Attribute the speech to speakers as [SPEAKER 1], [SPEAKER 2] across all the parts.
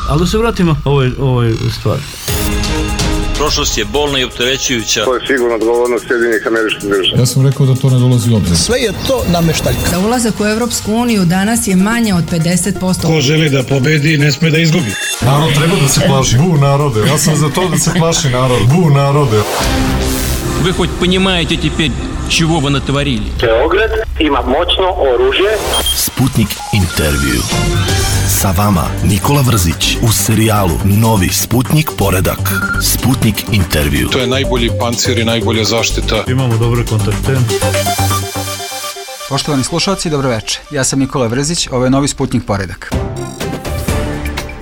[SPEAKER 1] Ali da se vratimo ovoj stvari.
[SPEAKER 2] Prošlost je bolna i opterećujuća.
[SPEAKER 3] To je sigurno odgovornost Sjedinjenih Američkih Država.
[SPEAKER 4] Ja sam rekao da to ne dolazi u obzir.
[SPEAKER 5] Sve je to nameštaljka.
[SPEAKER 6] Da ulazak u Evropsku uniju danas je manje od 50%.
[SPEAKER 7] Ko želi da pobedi, ne sme da izgubi.
[SPEAKER 4] Narod treba da se plaši. Bu narode. Ja sam za to da se plaši narod. Bu narode.
[SPEAKER 8] Вы хоть понимаете теперь, чего вы натворили?
[SPEAKER 9] Beograd ima moćno oružje.
[SPEAKER 10] Sputnik intervju. Sa vama Nikola Vrzić u serijalu Novi Sputnik poredak. Sputnik intervju.
[SPEAKER 7] To je najbolji pancir i najbolja zaštita.
[SPEAKER 1] Imamo dobre kontakte.
[SPEAKER 11] Poštovani slušalci, dobroveče. Ja sam Nikola Vrzić, ovo je Novi Sputnik poredak.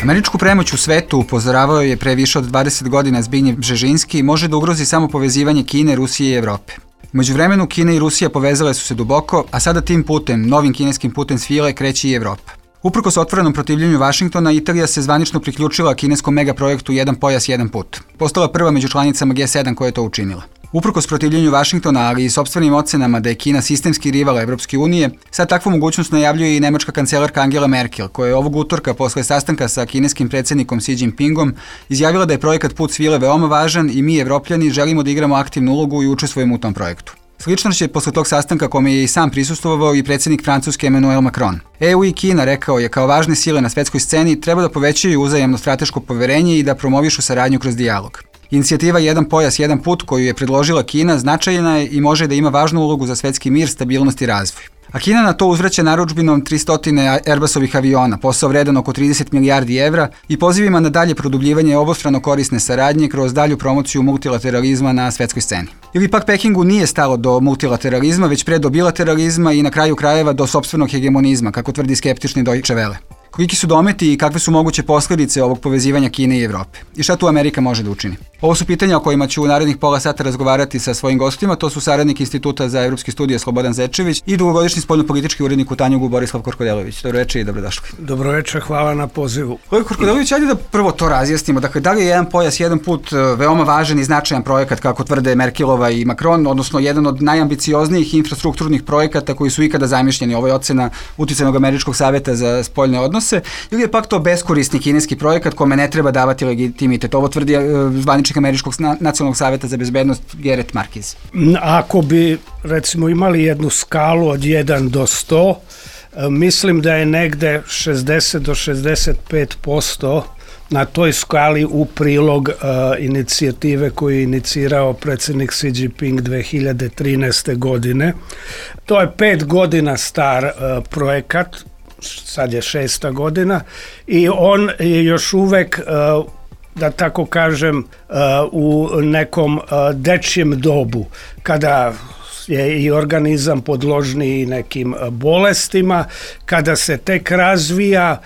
[SPEAKER 11] Američku premoć u svetu, upozoravao je pre više od 20 godina Zbignjev Bžežinski, može da ugrozi samo povezivanje Kine, Rusije i Evrope. U međuvremenu Kina i Rusija povezale su se duboko, a sada tim putem, novim kineskim putem svile, kreće i Evropa. Uprkos otvorenom protivljenju Vašingtona, Italija se zvanično priključila kineskom megaprojektu Jedan pojas, jedan put. Postala prva među članicama G7 koja je to učinila. Uprkos protivljenju Vašingtona, ali i sopstvenim ocenama da je Kina sistemski rival Evropske unije, sad takvu mogućnost najavljuje i nemačka kancelarka Angela Merkel, koja je ovog utorka posle sastanka sa kineskim predsjednikom Xi Jinpingom izjavila da je projekat Put svile veoma važan i mi, Evropljani, želimo da igramo aktivnu ulogu i učestvujemo u tom projektu. Slično će posle tog sastanka kome je i sam prisustvovao i predsjednik Francuske Emmanuel Macron. EU i Kina, rekao je, kao važne sile na svetskoj sceni treba da povećaju uzajamno strateško poverenje i da promovišu saradnju kroz dijalog. Inicijativa Jedan pojas, jedan put koju je predložila Kina značajna je i može da ima važnu ulogu za svetski mir, stabilnost i razvoj. A Kina na to uzvraća narudžbinom 300 Airbusovih aviona, posao vredan oko 30 milijardi evra i pozivima na dalje produbljivanje obostrano korisne saradnje kroz dalju promociju multilateralizma na svetskoj sceni. Ili pak Pekingu nije stalo do multilateralizma, već pre do bilateralizma i na kraju krajeva do sopstvenog hegemonizma, kako tvrdi skeptični Deutsche Welle. Koliki su dometi i kakve su moguće posljedice ovog povezivanja Kine i Evrope? I šta tu Amerika može da učini? Ovo su pitanja o kojima ću u narednih pola sata razgovarati sa svojim gostima. To su saradnik Instituta za evropske studije Slobodan Zečević i dugogodišnji spoljnopolitički urednik u Tanjugu Borislav Korkodelović. Dobroveče i dobrodošli.
[SPEAKER 5] Dobroveče, hvala na pozivu.
[SPEAKER 11] Kolega Korkodelović, ajde da prvo to razjasnimo. Dakle, da li je Jedan pojas, jedan put veoma važan i značajan projekat, kako tvrde Merkelova i Macron, odnosno jedan od najambicioznijih infrastrukturnih projekata koji su ikada zamišljeni? Ovo je ocena Uticajnog američkog saveta za spoljne odnose. Ili je pak to beskorisni kineski projekat kome ne treba davati legitimitet? Ovo tvrdi zvaničnik Američkog nacionalnog saveta za bezbednost Gareth Marquez.
[SPEAKER 5] Ako bi, recimo, imali jednu skalu od 1 do 100, mislim da je negde 60 do 65% na toj skali u prilog inicijative koju je inicirao predsjednik Xi Jinping 2013. godine. To je 5 godina star projekat, sad je 6. godina i on je još uvek, da tako kažem, u nekom dečjem dobu, kada je i organizam podložniji nekim bolestima, kada se tek razvija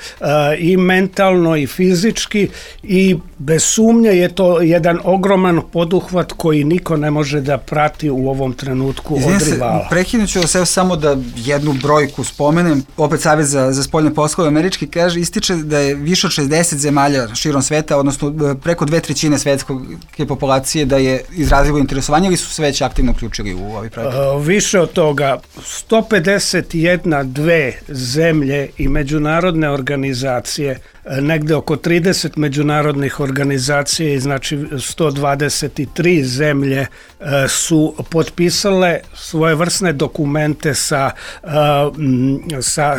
[SPEAKER 5] i mentalno i fizički i bez sumnje je to jedan ogroman poduhvat koji niko ne može da prati u ovom trenutku od rivala.
[SPEAKER 11] Prekinut ću se samo da jednu brojku spomenem. Opet Savez za spoljne poslove američki kaže, ističe da je više od 60 zemalja širom sveta, odnosno preko 2/3 svetske populacije da je izrazilo interesovanje ili su se već aktivno uključili u ovaj projekat?
[SPEAKER 5] Više od toga, 151 zemlje i međunarodne organizacije, negde oko 30 međunarodnih organizacija i znači 123 zemlje su potpisale svojevrsne dokumente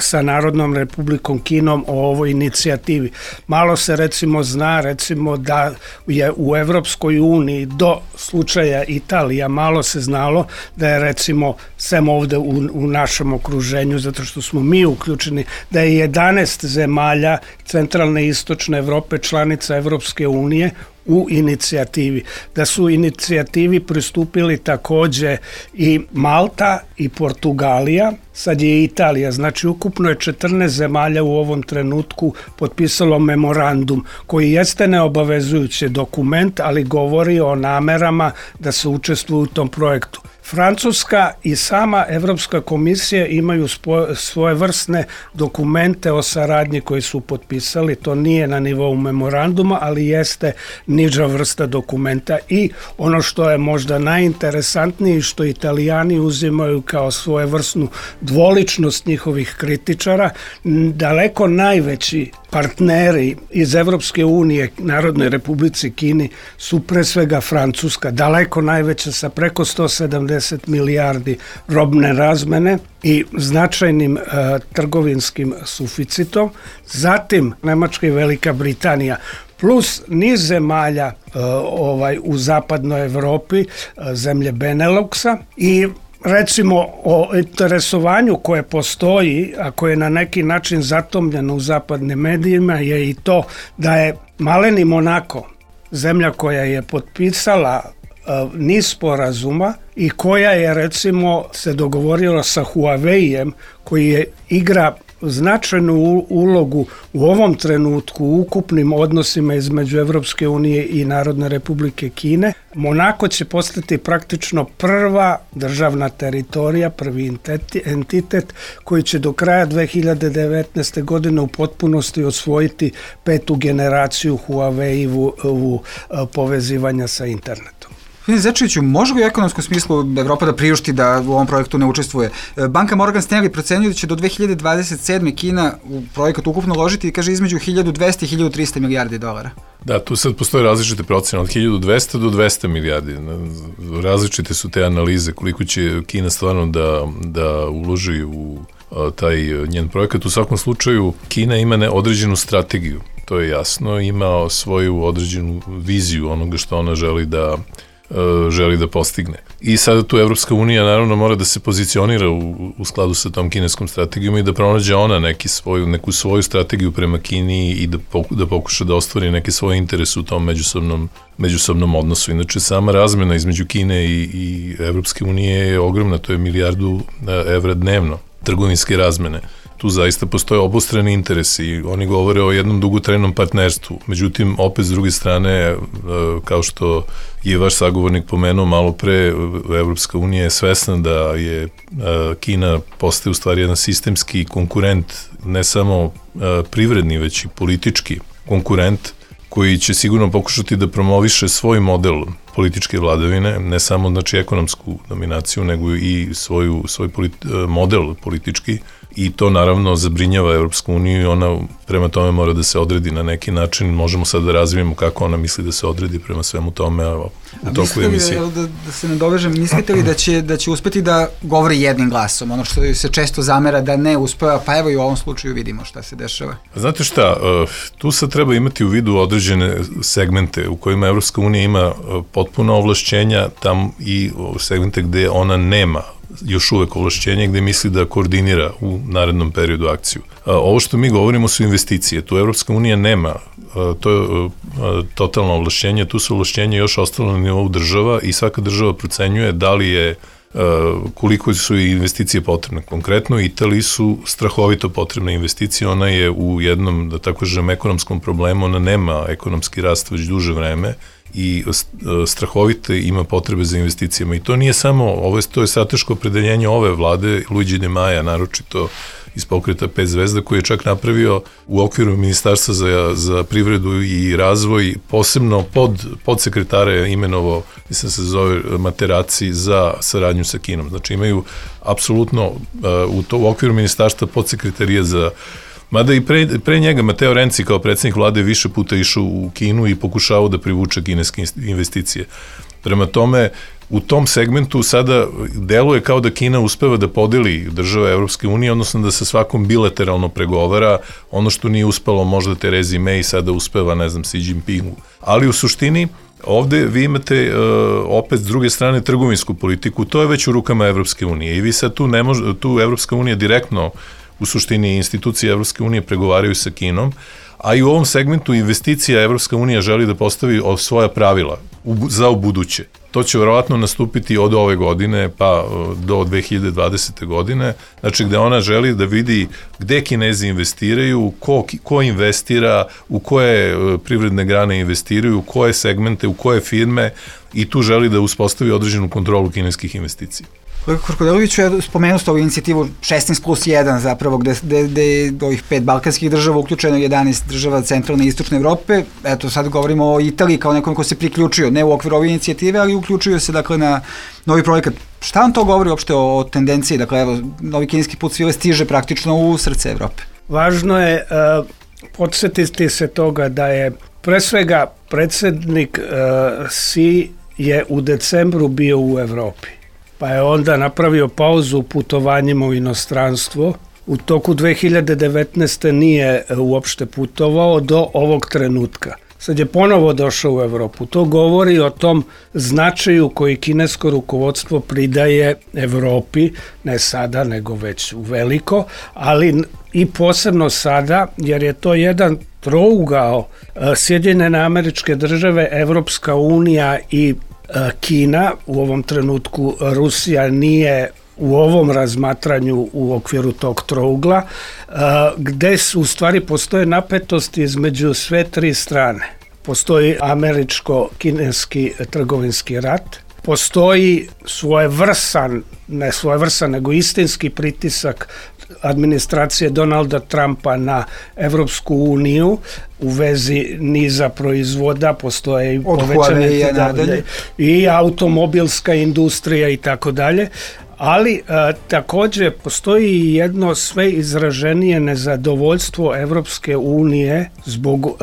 [SPEAKER 5] sa Narodnom republikom Kinom o ovoj inicijativi. Malo se recimo zna da je u Evropskoj uniji do slučaja Italija malo se znalo da je recimo sem ovde u našem okruženju, zato što smo mi uključeni, da je 11 zemalja centralne i istočne Evrope članica Evropske unije u inicijativi. Da su inicijativi pristupili takođe i Malta i Portugalija, sad je i Italija, znači ukupno je 14 zemalja u ovom trenutku potpisalo memorandum koji jeste neobavezujući dokument, ali govori o namerama da se učestvuju u tom projektu. Francuska i sama Evropska komisija imaju svoje vrstne dokumente o saradnji koji su potpisali, to nije na nivou memoranduma, ali jeste niža vrsta dokumenta i ono što je možda najinteresantnije što Italijani uzimaju kao svojevrsnu dvoličnost njihovih kritičara, daleko najveći partneri iz Evropske unije Narodnoj Republici Kini su pre svega Francuska, daleko najveća sa preko 170 milijardi robne razmene i značajnim trgovinskim suficitom. Zatim Nemačka i Velika Britanija plus niz zemalja u zapadnoj Evropi, zemlje Beneluxa i recimo o interesovanju koje postoji, a koje je na neki način zatomljeno u zapadnim medijima, je i to da je maleni Monako, zemlja koja je potpisala niz sporazuma i koja je recimo se dogovorila sa Huawei-em koji igra značajnu ulogu u ovom trenutku u ukupnim odnosima između Evropske unije i Narodne Republike Kine. Monako će postati praktično prva državna teritorija, prvi entitet koji će do kraja 2019. godine u potpunosti osvojiti 5. generaciju Huawei-u povezivanja sa internetom.
[SPEAKER 11] Zečeviću, može li u ekonomskom smislu Evropa da priušti da u ovom projektu ne učestvuje? Banka Morgan Stanley procenjuje da će do 2027. Kina u projekat ukupno uložiti, kaže, između 1200 i 1300 milijardi dolara.
[SPEAKER 12] Da, tu sad postoje različite procene, od 1200 do 200 milijardi. Različite su te analize koliko će Kina stvarno da uloži u taj njen projekat. U svakom slučaju, Kina ima određenu strategiju, to je jasno, ima svoju određenu viziju onoga što ona želi da postigne. I sada tu Evropska unija naravno mora da se pozicionira u skladu sa tom kineskom strategijom i da pronađe ona neku svoju strategiju prema Kini i da pokuša da ostvari neke svoje interese u tom međusobnom odnosu. Inače, sama razmena između Kine i Evropske unije je ogromna, to je 1 milijardu evra dnevno trgovinske razmene. Tu zaista postoje obostrani interesi i oni govore o jednom dugotrajnom partnerstvu. Međutim, opet s druge strane, kao što je vaš sagovornik pomenuo malo pre, Evropska unija je svesna da je Kina postaje u stvari jedan sistemski konkurent, ne samo privredni, već i politički konkurent, koji će sigurno pokušati da promoviše svoj model političke vladavine, ne samo znači ekonomsku dominaciju, nego i svoj model politički, i to naravno zabrinjava Evropsku uniju i ona prema tome mora da se odredi na neki način. Možemo sad da razvijemo kako ona misli da se odredi prema svemu tome u toku emisije.
[SPEAKER 11] Da se nadovežem, mislite li da će uspeti da govori jednim glasom, ono što se često zamera da ne uspeva, pa evo i u ovom slučaju vidimo šta se dešava?
[SPEAKER 12] Znate šta, tu sad treba imati u vidu određene segmente u kojima Evropska unija ima potpuno ovlašćenja, tam i segmente gde ona nema još uvek ovlašćenje, gde misli da koordinira u narednom periodu akciju. Ovo što mi govorimo su investicije. Tu Evropska unija nema to je totalno ovlašćenje. Tu su ovlašćenje još ostalo na nivou država i svaka država procenjuje da li je koliko su investicije potrebne. Konkretno, Italiji su strahovito potrebne investicije, ona je u jednom, da tako kažem, ekonomskom problemu, ona nema ekonomski rast već duže vreme i strahovite ima potrebe za investicijama. I to nije samo, to je strateško opredeljenje ove vlade, Luigi Di Maja, naročito iz pokreta 5 zvezda, koji je čak napravio u okviru Ministarstva za privredu i razvoj, posebno podsekretare imenovao, mislim se zove Materaci, za saradnju sa Kinom. Znači imaju apsolutno u okviru ministarstva podsekretarije za... Mada i pre njega Matteo Renzi kao predsjednik vlade više puta išao u Kinu i pokušavao da privuče kineske investicije. Prema tome, u tom segmentu sada deluje kao da Kina uspeva da podeli države Evropske unije, odnosno da sa svakom bilateralno pregovara, ono što nije uspelo možda Terezi May, sada uspeva, ne znam, Xi Jinpingu. Ali u suštini, ovde vi imate opet s druge strane trgovinsku politiku, to je već u rukama Evropske unije i vi sad tu Evropska unija direktno, u suštini institucije Evropske unije pregovaraju sa Kinom, a i u ovom segmentu investicija Evropska unija želi da postavi svoja pravila za ubuduće. To će verovatno nastupiti od ove godine pa do 2020. godine, znači gde ona želi da vidi gde Kinezi investiraju, ko investira, u koje privredne grane investiraju, u koje segmente, u koje firme i tu želi da uspostavi određenu kontrolu kineskih investicija.
[SPEAKER 11] Kolega Korkodeloviću, ja spomenuo ste ovu inicijativu 16+1 zapravo, gde je ovih 5 balkanskih država uključeno 11 država centralne i istočne Evrope. Eto, sad govorimo o Italiji kao nekom ko se priključio, ne u okviru ove inicijative, ali uključuju se dakle na novi projekat. Šta vam to govori uopšte o tendenciji? Dakle, evo, novi kineski put svile stiže praktično u srce Evrope.
[SPEAKER 5] Važno je podsjetiti se toga da je pre svega predsjednik Xi je u decembru bio u Evropi, pa je onda napravio pauzu u putovanjima u inostranstvo. U toku 2019. nije uopšte putovao do ovog trenutka. Sad je ponovo došao u Evropu. To govori o tom značaju koji kinesko rukovodstvo pridaje Evropi, ne sada, nego već u veliko, ali i posebno sada, jer je to jedan trougao Sjedinjene Američke Države, Evropska unija i Kina. U ovom trenutku Rusija nije u ovom razmatranju u okviru tog trougla, gde u stvari postoje napetosti između sve tri strane. Postoji američko-kineski trgovinski rat, postoji ne svojevrsan, nego istinski pritisak administracije Donalda Trumpa na Evropsku uniju u vezi niza proizvoda, postoje i povećane i automobilska industrija i tako dalje. Ali također postoji i jedno sve izraženije nezadovoljstvo Evropske unije zbog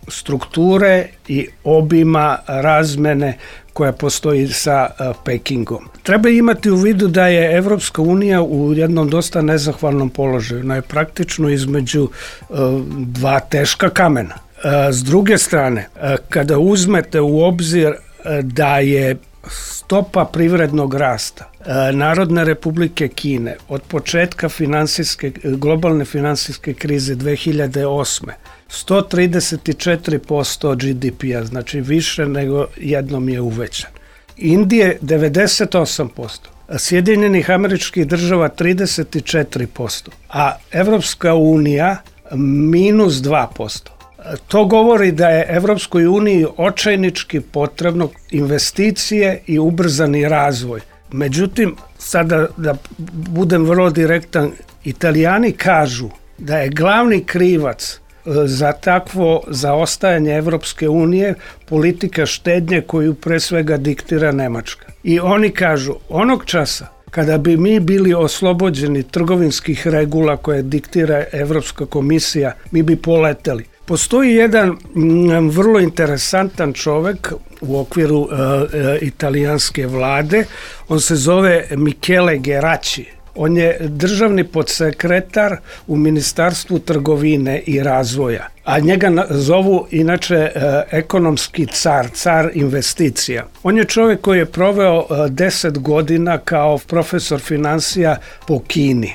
[SPEAKER 5] strukture i obima razmene koja postoji sa Pekingom. Treba imati u vidu da je Evropska unija u jednom dosta nezahvalnom položaju. Ona je praktično između dva teška kamena. S druge strane, kada uzmete u obzir da je stopa privrednog rasta Narodne Republike Kine od početka globalne finansijske krize 2008. 134% GDP-a, znači više nego jednom je uvećan. Indije 98%, Sjedinjenih Američkih Država 34%, a Evropska unija minus 2%. To govori da je Evropskoj uniji očajnički potrebno investicije i ubrzani razvoj. Međutim, sada da budem vrlo direktan, Italijani kažu da je glavni krivac za takvo zaostajanje Evropske unije politika štednje koju pre svega diktira Nemačka. I oni kažu, onog časa kada bi mi bili oslobođeni trgovinskih regula koje diktira Evropska komisija, mi bi poleteli. Postoji jedan vrlo interesantan čovek u okviru italijanske vlade, on se zove Michele Geraci. On je državni podsekretar u Ministarstvu trgovine i razvoja, a njega zovu inače ekonomski car investicija. On je čovjek koji je proveo 10 godina kao profesor financija po Kini.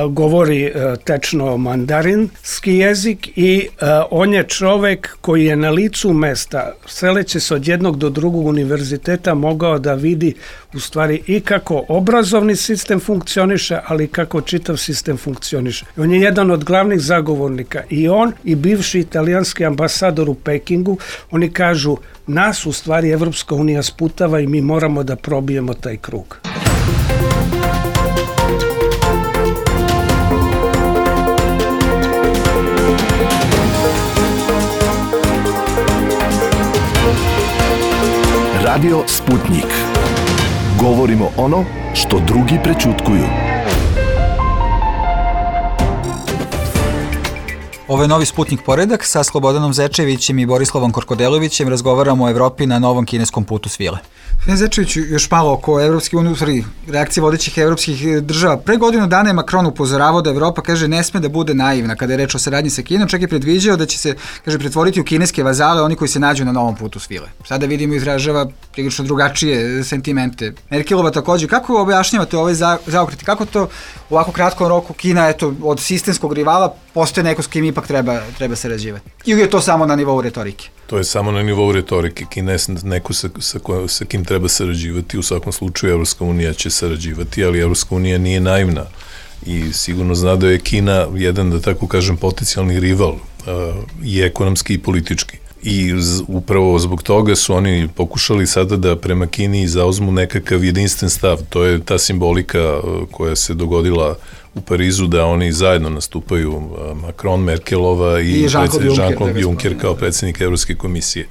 [SPEAKER 5] Govori tečno mandarinski jezik i on je čovjek koji je na licu mesta, seleći se od jednog do drugog univerziteta, mogao da vidi u stvari i kako obrazovni sistem funkcioniše, ali i kako čitav sistem funkcioniše. On je jedan od glavnih zagovornika i on i bivši italijanski ambasador u Pekingu, oni kažu, nas u stvari Evropska unija sputava i mi moramo da probijemo taj krug.
[SPEAKER 10] Radio Sputnik. Govorimo ono što drugi prećutkuju.
[SPEAKER 11] Ovo je novi Sputnik poredak. Sa Slobodanom Zečevićem i Borislavom Korkodelovićem razgovaramo o Evropi na novom kineskom putu svile. Zečeviću, još malo oko Evropske unije, reakcije vodećih evropskih država. Pre godinu dana je Macron upozoravao da Evropa, kaže, ne sme da bude naivna kada je reč o saradnji sa Kinom, čak i predviđao da će se, kaže, pretvoriti u kineske vazale oni koji se nađu na novom putu svile. Sada vidimo izražava prilično drugačije sentimente. Merkelova takođe. Kako objašnjavate ovaj zaokret? Kako to u ovako kratkom roku Kina, eto, od sistemskog rivala postoje neko s kim ipak treba sarađivati? Ili je to samo na nivou retorike?
[SPEAKER 12] To je samo na nivou retorike. Kina je neko sa kim treba sarađivati. U svakom slučaju Evropska unija će sarađivati, ali Evropska unija nije naivna i sigurno zna da je Kina jedan, da tako kažem, potencijalni rival i ekonomski i politički. I upravo zbog toga su oni pokušali sada da prema Kini zauzmu nekakav jedinstven stav. To je ta simbolika koja se dogodila u Parizu, da oni zajedno nastupaju, Macron, Merkelova i Jean-Claude Juncker kao predsjednik Evropske komisije.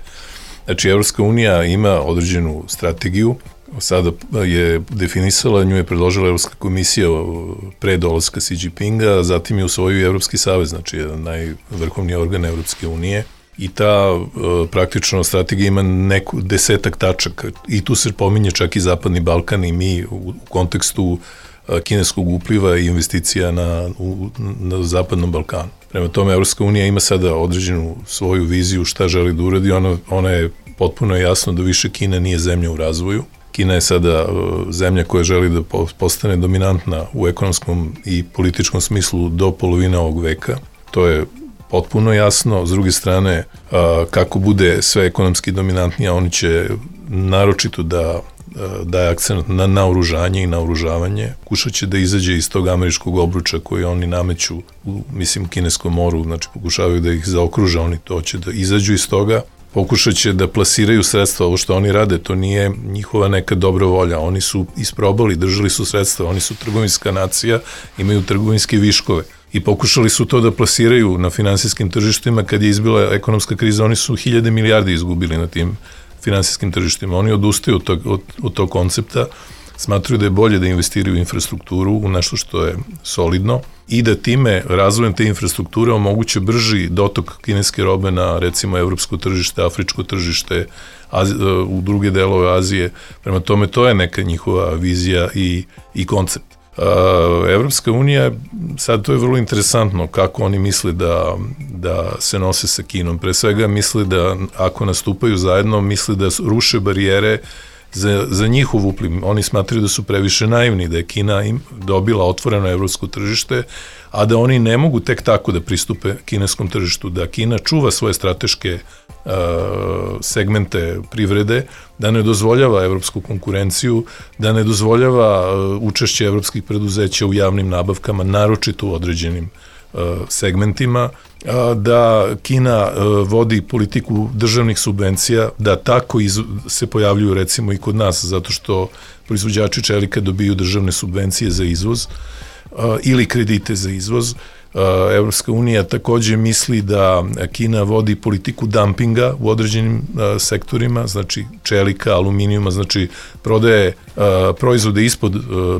[SPEAKER 12] Znači, Evropska unija ima određenu strategiju sada je definisala, nju je predložila Evropska komisija pre dolaska Xi Jinpinga, zatim je usvojio i Evropski savez, znači jedan najvrhovniji organ Evropske unije. I ta praktično strategija ima neku 10 tačaka i tu se pominje čak i Zapadni Balkan i mi u kontekstu kineskog upliva i investicija na Zapadnom Balkanu. Prema tome, Evropska unija ima sada određenu svoju viziju šta želi da uradi, ona je potpuno jasno da više Kina nije zemlja u razvoju. Kina je sada zemlja koja želi da postane dominantna u ekonomskom i političkom smislu do polovine ovog veka. To je potpuno jasno. S druge strane, kako bude sve ekonomski dominantnije, oni će naročito da daje akcent na naoružanje i naoružavanje. Kušat će da izađe iz tog američkog obruča koji oni nameću u, kineskom moru, znači pokušavaju da ih zaokruže, oni to će da izađu iz toga. Pokušat će da plasiraju sredstva, ovo što oni rade, to nije njihova neka dobra volja, oni su isprobali, držali su sredstva, oni su trgovinska nacija, imaju trgovinske viškove i pokušali su to da plasiraju na finansijskim tržištima. Kad je izbila ekonomska kriza, oni su 1000 milijardi izgubili na tim finansijskim tržištima. Oni odustaju od tog koncepta, smatruju da je bolje da investiraju u infrastrukturu, u nešto što je solidno i da time razvojem te infrastrukture omoguće brži dotok kineske robe na recimo evropsko tržište, afričko tržište, u druge delove Azije. Prema tome, to je neka njihova vizija i koncept. Evropska unija, sad to je vrlo interesantno kako oni misle da se nose sa Kinom. Pre svega misle da ako nastupaju zajedno, misle da ruše barijere za njihov upliv. Oni smatraju da su previše naivni, da je Kina im dobila otvoreno evropsko tržište, a da oni ne mogu tek tako da pristupe kineskom tržištu, da Kina čuva svoje strateške segmente privrede, da ne dozvoljava evropsku konkurenciju, da ne dozvoljava učešće evropskih preduzeća u javnim nabavkama, naročito u određenim segmentima, da Kina vodi politiku državnih subvencija, da tako se pojavljuju recimo i kod nas, zato što proizvođači čelika dobiju državne subvencije za izvoz ili kredite za izvoz. Evropska unija takođe misli da Kina vodi politiku dumpinga u određenim sektorima, znači čelika, aluminijuma, znači prodaje proizvode ispod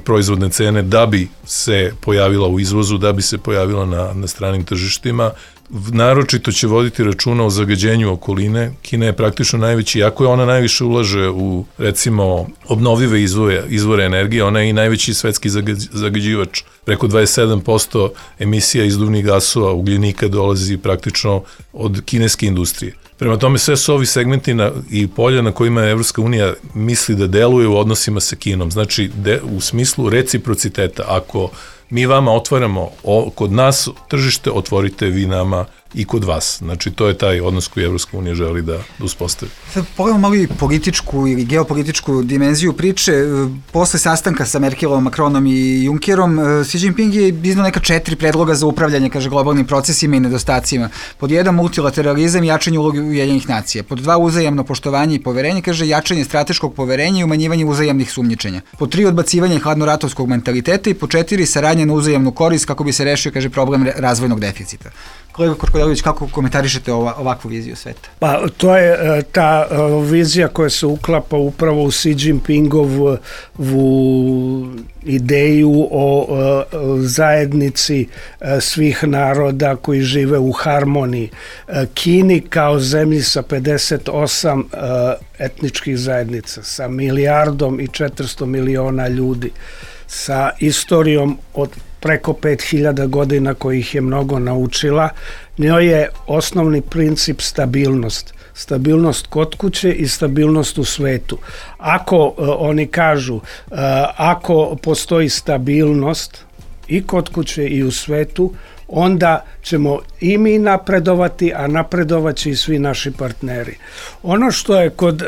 [SPEAKER 12] proizvodne cene da bi se pojavila u izvozu, da bi se pojavila na stranim tržištima. Naročito će voditi računa o zagađenju okoline. Kina je praktično najveći, iako je ona najviše ulaže u, recimo, obnovive izvore energije, ona je i najveći svetski zagađivač. Preko 27% emisija izduvnih gasova, ugljenika dolazi praktično od kineske industrije. Prema tome, sve su ovi segmenti i polja na kojima Evropska unija misli da deluje u odnosima sa Kinom. Znači, u smislu reciprociteta, ako mi vama otvaramo kod nas tržište, otvorite vi nama i kod vas. Znači, to je taj odnos koji Evropska unija želi da uspostavi.
[SPEAKER 11] Sad pogledamo malo i političku ili geopolitičku dimenziju priče. Posle sastanka sa Merkelom, Macronom i Junckerom, Xi Jinping je iznao neka 4 predloga za upravljanje, kaže, globalnim procesima i nedostacima. Pod 1, multilateralizam i jačanje uloge Ujedinjenih nacija. Pod 2, uzajamno poštovanje i poverenje, kaže, jačanje strateškog poverenja i umanjivanje uzajamnih sumnjičenja. Pod 3, odbacivanje hladnoratovskog mentaliteta i pod 4, saradnja na uzajamnu korist kako bi se rešio, kaže, problem razvojnog deficita. Kolega Korkodelović, kako komentarišete ovakvu viziju sveta?
[SPEAKER 5] Pa to je ta vizija koja se uklapa upravo u Xi Jinpingovu ideju o zajednici svih naroda koji žive u harmoniji. Kini kao zemlji sa 58 etničkih zajednica, sa 1,4 milijarda ljudi, sa istorijom od preko 5000 godina kojih je mnogo naučila, njoj je osnovni princip stabilnost. Stabilnost kod kuće i stabilnost u svetu. Ako oni kažu, ako postoji stabilnost i kod kuće i u svetu, onda ćemo i mi napredovati, a napredovat će i svi naši partneri. Ono što je kod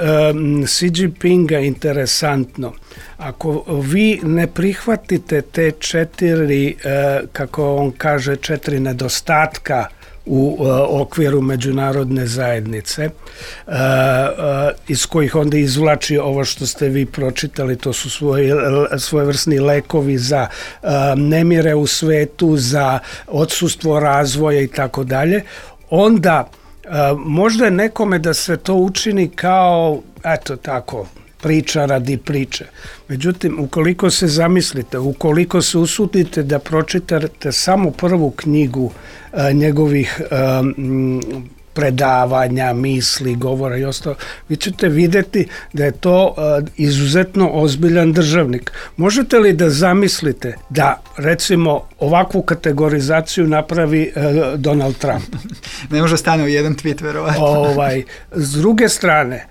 [SPEAKER 5] Xi Jinpinga interesantno, ako vi ne prihvatite te 4, kako on kaže, 4 nedostatka u okviru međunarodne zajednice, iz kojih onda izvlači ovo što ste vi pročitali, to su svojevrsni lekovi za nemire u svetu, za odsustvo razvoja i tako dalje, onda možda nekome da se to učini kao, eto tako, priča radi priče. Međutim, ukoliko se zamislite, ukoliko se usudite da pročitate samo prvu knjigu njegovih predavanja, misli, govora i ostalo, vi ćete vidjeti da je to izuzetno ozbiljan državnik. Možete li da zamislite da, recimo, ovakvu kategorizaciju napravi Donald Trump?
[SPEAKER 11] Ne može stane u jedan tweet, verovatno.
[SPEAKER 5] S druge strane,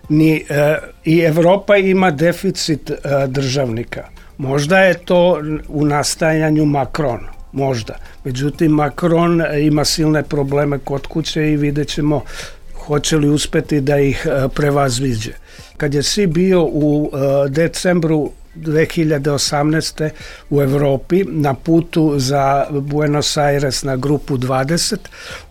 [SPEAKER 5] i Evropa ima deficit državnika. Možda je to u nastajanju Macron. Možda. Međutim, Macron ima silne probleme kod kuće i vidjet ćemo hoće li uspeti da ih prevaziđe. Kad je si bio u decembru 2018. u Evropi na putu za Buenos Aires na grupu 20,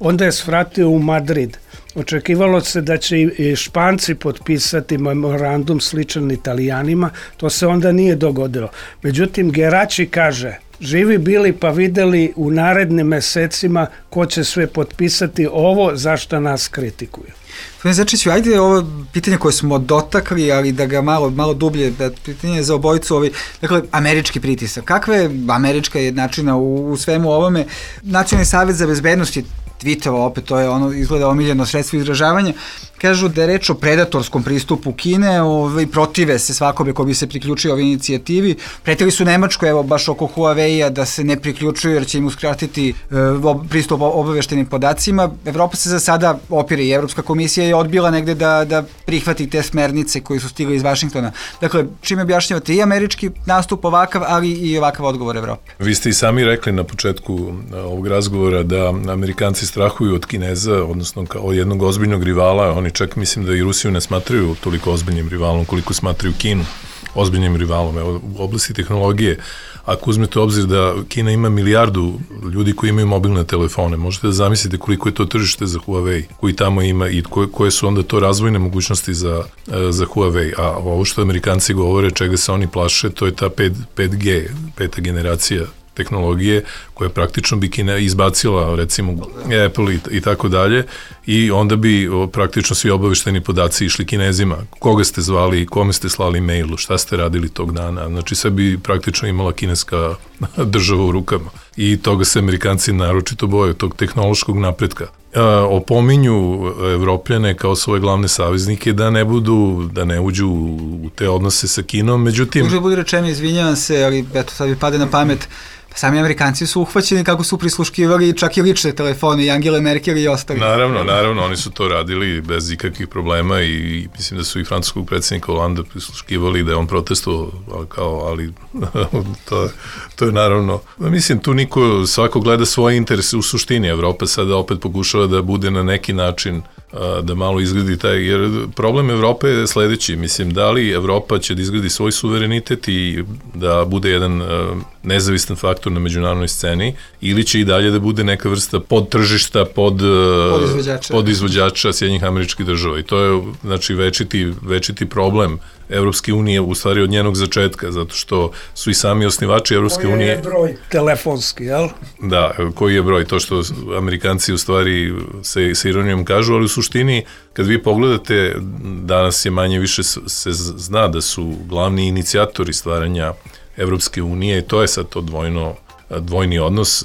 [SPEAKER 5] onda je svratio u Madrid. Očekivalo se da će i Španci potpisati memorandum sličan Italijanima, to se onda nije dogodilo. Međutim, Geraci kaže, živi bili pa videli u narednim mesecima ko će sve potpisati ovo zašto nas kritikuju.
[SPEAKER 11] Začiću, ajde ovo pitanje koje smo dotakli, ali da ga malo dublje, da pitanje za obojicu, dakle, američki pritisak. Kakva je američka jednačina u svemu ovome? Nacionalni savjet za bezbednost je tweetova, opet to je ono izgleda omiljeno sredstvo izražavanja, kažu da je reč o predatorskom pristupu Kine, protive se svakome ko bi se priključio ovoj inicijativi. Pretili su Nemačku, evo baš oko Huawei-a, da se ne priključuju jer će im uskratiti pristup obaveštenim podacima. Evropa se za sada opire i Evropska komisija je odbila negde da prihvati te smernice koji su stigli iz Vašingtona. Dakle, čime objašnjavate i američki nastup ovakav, ali i ovakav odgovor Evrope?
[SPEAKER 12] Vi ste i sami rekli na početku ovog razgovora da Amerikanci strahuju od Kineza, odnosno od jednog ozbiljnog rivala. Oni čak mislim da i Rusiju ne smatraju toliko ozbiljnim rivalom koliko smatraju Kinu ozbiljnim rivalom. Evo, u oblasti tehnologije, ako uzmete u obzir da Kina ima milijardu ljudi koji imaju mobilne telefone, možete da zamislite koliko je to tržište za Huawei, koji tamo ima i koje su onda to razvojne mogućnosti za Huawei. A ovo što Amerikanci govore, čega se oni plaše, to je ta 5G, peta generacija tehnologije, koja praktično bi Kina izbacila, recimo Apple i tako dalje, i onda bi praktično svi obavešteni podaci išli Kinezima. Koga ste zvali, kome ste slali mailu, šta ste radili tog dana, znači sve bi praktično imala kineska država u rukama. I toga se Amerikanci naročito boje, tog tehnološkog napretka. Opominju Evropljane kao svoje glavne saveznike da ne uđu u te odnose sa Kinom, međutim...
[SPEAKER 11] Može budi rečeno, izvinjavam se, ali eto sad mi pade na pamet, sami Amerikanci su uhvaćeni kako su prisluškivali čak i lične telefone i Angele Merkel i ostali.
[SPEAKER 12] Naravno, oni su to radili bez ikakvih problema i mislim da su i francuskog predsjednika Holanda prisluškivali, da je on protestovao, ali to je naravno, mislim tu svako gleda svoje interese u suštini. Evropa sada opet pokušava da bude na neki način da malo izgradi jer problem Evrope je sledeći, mislim, da li Evropa će da izgradi svoj suverenitet i da bude jedan nezavistan faktor na međunarodnoj sceni, ili će i dalje da bude neka vrsta podtržišta, podizvođača Sjedinjenih Američkih Država. I to je, znači, večiti problem Evropske unije, u stvari od njenog začetka, zato što su i sami osnivači Evropske unije...
[SPEAKER 5] Koji je broj telefonski, jel?
[SPEAKER 12] Da, koji je broj, to što Amerikanci u stvari se ironijom kažu, ali u suštini, kad vi pogledate, danas je manje više se zna da su glavni inicijatori stvaranja Evropske unije, i to je sad to dvojni odnos.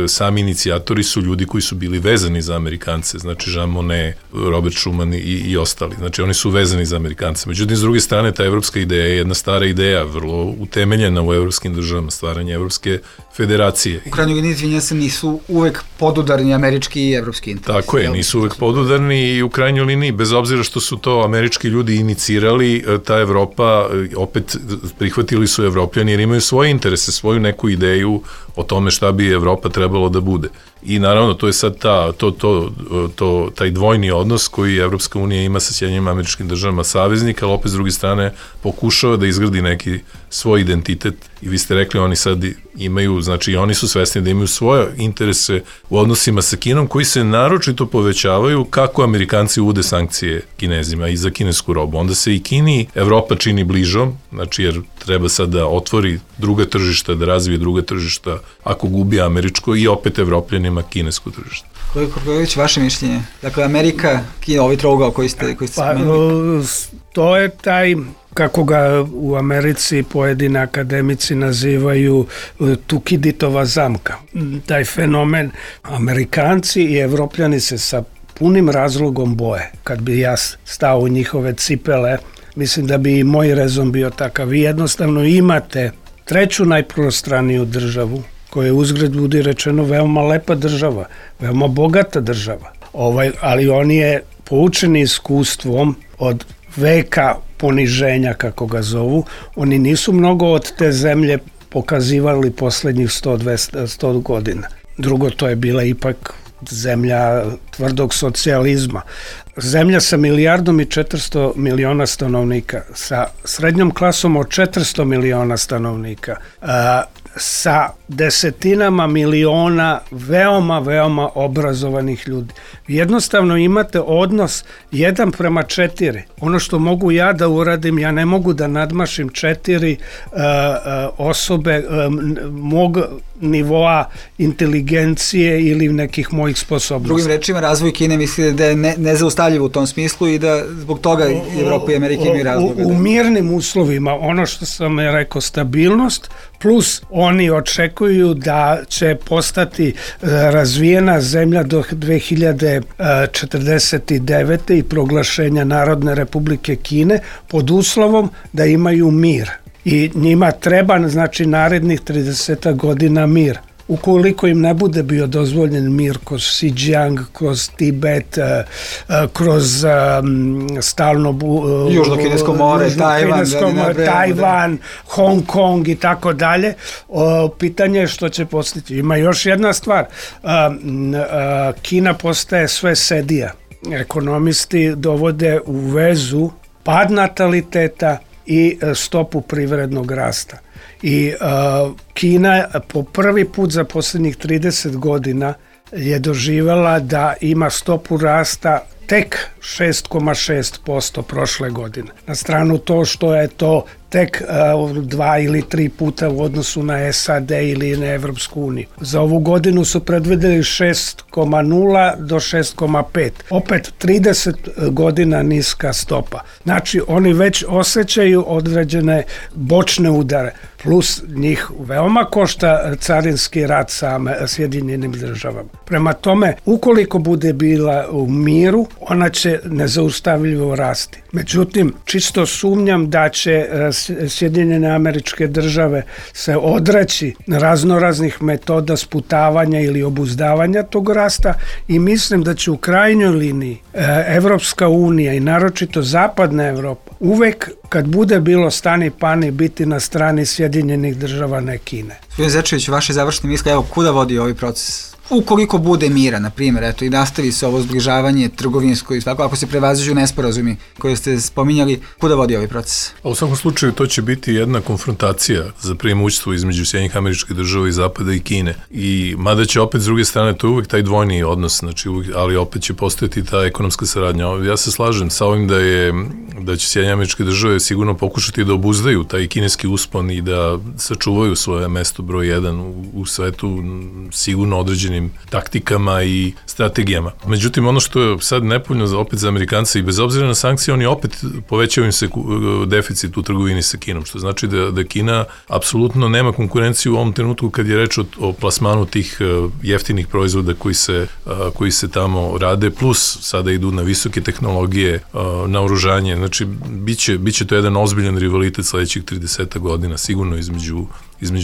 [SPEAKER 12] Sami inicijatori su ljudi koji su bili vezani za Amerikance, znači Jean Monnet, Robert Schuman i ostali. Znači oni su vezani za Amerikance. Međutim, s druge strane, ta evropska ideja je jedna stara ideja, vrlo utemeljena u evropskim državama, stvaranje Evropske federacije.
[SPEAKER 11] U krajnjoj liniji, izvinja se, nisu uvek podudarni američki i evropski interes.
[SPEAKER 12] Tako je, nisu uvek podudarni i u krajnjoj liniji, bez obzira što su to američki ljudi inicirali, ta Evropa, opet prihvatili su Evropljani jer imaju svoje interese, svoju neku ideju o tome šta bi Evropa trebalo da bude. I naravno, to je sad taj dvojni odnos koji Evropska unija ima sa Sjedinjenim Američkim Državama saveznika, ali opet s druge strane pokušava da izgradi neki svoj identitet. I vi ste rekli, oni sad imaju, znači oni su svesni da imaju svoje interese u odnosima sa Kinom, koji se naročito povećavaju kako Amerikanci uvode sankcije Kinezima i za kinesku robu. Onda se i Kini Evropa čini bližom, znači jer treba sad da otvori druga tržišta, da razvije druga tržišta, ako gubi američko, i opet Evropljanima kinesko tržište.
[SPEAKER 11] Koliko Korković, vaše mišljenje? Dakle, Amerika, Kina, ovaj trougao koji ste spomenuli?
[SPEAKER 5] To je taj kako ga u Americi pojedini akademici nazivaju Tukiditova zamka. Taj fenomen, Amerikanci i Evropljani se sa punim razlogom boje. Kad bi ja stao u njihove cipele, mislim da bi i moj rezon bio takav. Vi jednostavno imate treću najprostraniju državu, koja je uzgred budi rečeno veoma lepa država, veoma bogata država. Ali on je poučeni iskustvom od veka poniženja, kako ga zovu. Oni nisu mnogo od te zemlje pokazivali poslednjih 100 godina. Drugo, to je bila ipak zemlja tvrdog socijalizma. Zemlja sa 1.400.000.000 stanovnika, sa srednjom klasom od 400 miliona stanovnika, sa desetinama miliona veoma obrazovanih ljudi. Jednostavno imate odnos 1:4. Ono što mogu ja da uradim, ja ne mogu da nadmašim 4 osobe mog nivoa inteligencije ili nekih mojih sposobnosti.
[SPEAKER 11] Drugim rečima, razvoj Kine mislite da je nezaustavljiv u tom smislu i da zbog toga Evropa i Amerika imaju razloga.
[SPEAKER 5] U mirnim uslovima, ono što sam rekao, stabilnost, plus oni očekuju da će postati razvijena zemlja do 2049. i proglašenja Narodne Republike Kine pod uslovom da imaju mir. I njima treba, znači, narednih 30 godina mir. Ukoliko im ne bude bio dozvoljen mir kroz Xinjiang, kroz Tibet, kroz stalno
[SPEAKER 11] Južno-kinesko more,
[SPEAKER 5] Tajvan, Hong Kong i tako dalje, pitanje je što će postići. Ima još jedna stvar, Kina postaje sve sedija. Ekonomisti dovode u vezu pad nataliteta i stopu privrednog rasta. I Kina po prvi put za posljednjih 30 godina je doživjela da ima stopu rasta tek 6,6% prošle godine. Na stranu to što je to tek 2 ili 3 puta u odnosu na SAD ili na Evropsku uniju. Za ovu godinu su predvideli 6,0 do 6,5. Opet 30 godina niska stopa. Znači oni već osjećaju određene bočne udare. Plus njih veoma košta carinski rat sa Sjedinjenim državama. Prema tome, ukoliko bude bila u miru, ona će nezaustavljivo rasti. Međutim, čisto sumnjam da će Sjedinjene Američke Države se odreći raznoraznih metoda sputavanja ili obuzdavanja tog rasta i mislim da će u krajnjoj liniji Evropska unija i naročito Zapadna Evropa uvek kad bude bilo stani pani biti na strani Sjedinjenih Država, ne Kine.
[SPEAKER 11] Gospodin Zečević, vaše završne misle, evo kuda vodi ovaj proces? Ukoliko bude mira, na primjer, eto, i nastavi se ovo zbližavanje trgovinsko i svako, ako se prevaziđu nesporazumi koje ste spominjali, kuda vodi ovaj proces?
[SPEAKER 12] U svakom slučaju to će biti jedna konfrontacija za premoćstvo između Sjedinjenih Američkih Država i Zapada i Kine. I mada će opet s druge strane, to je uvek taj dvojni odnos, znači ali opet će postojati ta ekonomska saradnja. Ja se slažem sa ovim da će Sjedinjene Američke Države sigurno pokušati da obuzdaju taj kineski uspon i da sačuvaju svoje mesto broj 1 u svetu sigurno određenim taktikama i strategijama. Međutim, ono što je sad nepovoljno opet za Amerikanci i bez obzira na sankcije, oni opet povećaju im se deficit u trgovini sa Kinom, što znači da Kina apsolutno nema konkurenciju u ovom trenutku kad je reč o plasmanu tih jeftinih proizvoda koji se tamo rade, plus sada idu na visoke tehnologije, naoružanje. Znači, biće to jedan ozbiljan rivalitet sledećih 30 godina, sigurno između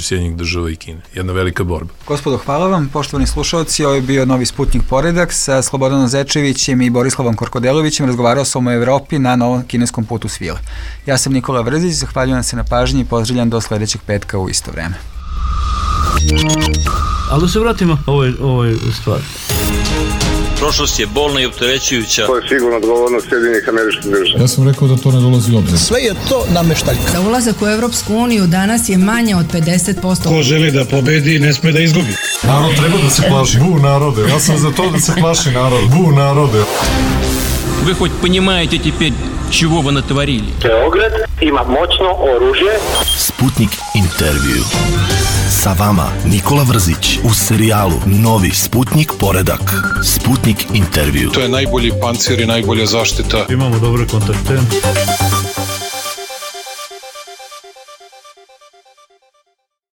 [SPEAKER 12] Sjedinjenih Država i Kine. Jedna velika borba.
[SPEAKER 11] Gospodo, hvala vam, poštovani slušalci, ovo je bio Novi Sputnik Poredak sa Slobodanom Zečevićem i Borislavom Korkodelovićem. Razgovarao sam o Evropi na novom kineskom putu svile. Ja sam Nikola Vrzić, zahvaljujem se na pažnji i pozdravljam do sledećeg petka u isto vreme.
[SPEAKER 1] Ali da se vratimo ovoj stvari.
[SPEAKER 2] Prošlost je bolna i opterećujuća.
[SPEAKER 3] To je sigurno odgovornost Sjedinjenih Američkih Država.
[SPEAKER 4] Ja sam rekao da to ne dolazi u obzir.
[SPEAKER 13] Sve je to nameštaljka.
[SPEAKER 6] Za ulazak u Evropsku uniju danas je manje od 50%.
[SPEAKER 7] Ko želi da pobedi, ne sme da izgubi.
[SPEAKER 4] Narod treba da se plaši. Bu narode. Ja sam za to da se plaši narod. Bu narode.
[SPEAKER 8] Вы хоть понимаете теперь, чего вы натворили?
[SPEAKER 9] Beograd ima moćno oružje.
[SPEAKER 10] Sputnik intervju. Sa vama Nikola Vrzić u serijalu Novi Sputnik Poredak. Sputnik intervju.
[SPEAKER 7] To je najbolji pancir i najbolja zaštita.
[SPEAKER 1] Imamo dobre kontakte.